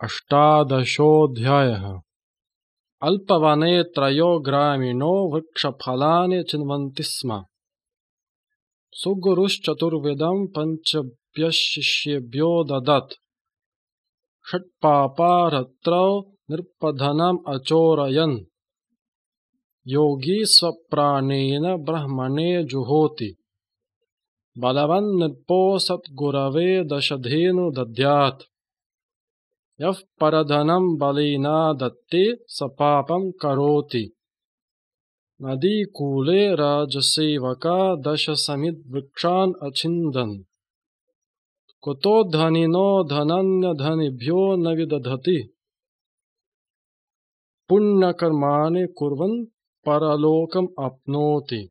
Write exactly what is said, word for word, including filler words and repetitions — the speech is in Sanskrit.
अष्टादशोऽध्यायः। अल्पवने त्रयो ग्रामीणो वृक्षफलानि चिन्वन्ति स्म। सुगुरुश्चतुर्विधं पञ्चभ्यः ददत्। षट्पापारात्रौ नृपधनम् अचोरयन्। योगी स्वप्राणेन ब्रह्मणे जुहोति। बलवन् नृपो सद्गुरवे दशधेनु दद्यात्। यः परधनं बलिना दत्ते स पापं करोति। नदीकूले राजसेवका दशसमिद्धवृक्षान् अछिन्दन्। कुतो धनिनो धनमन्यधनिभ्यो न विदधति। पुण्यकर्माणि कुर्वन् परलोकम् आप्नोति।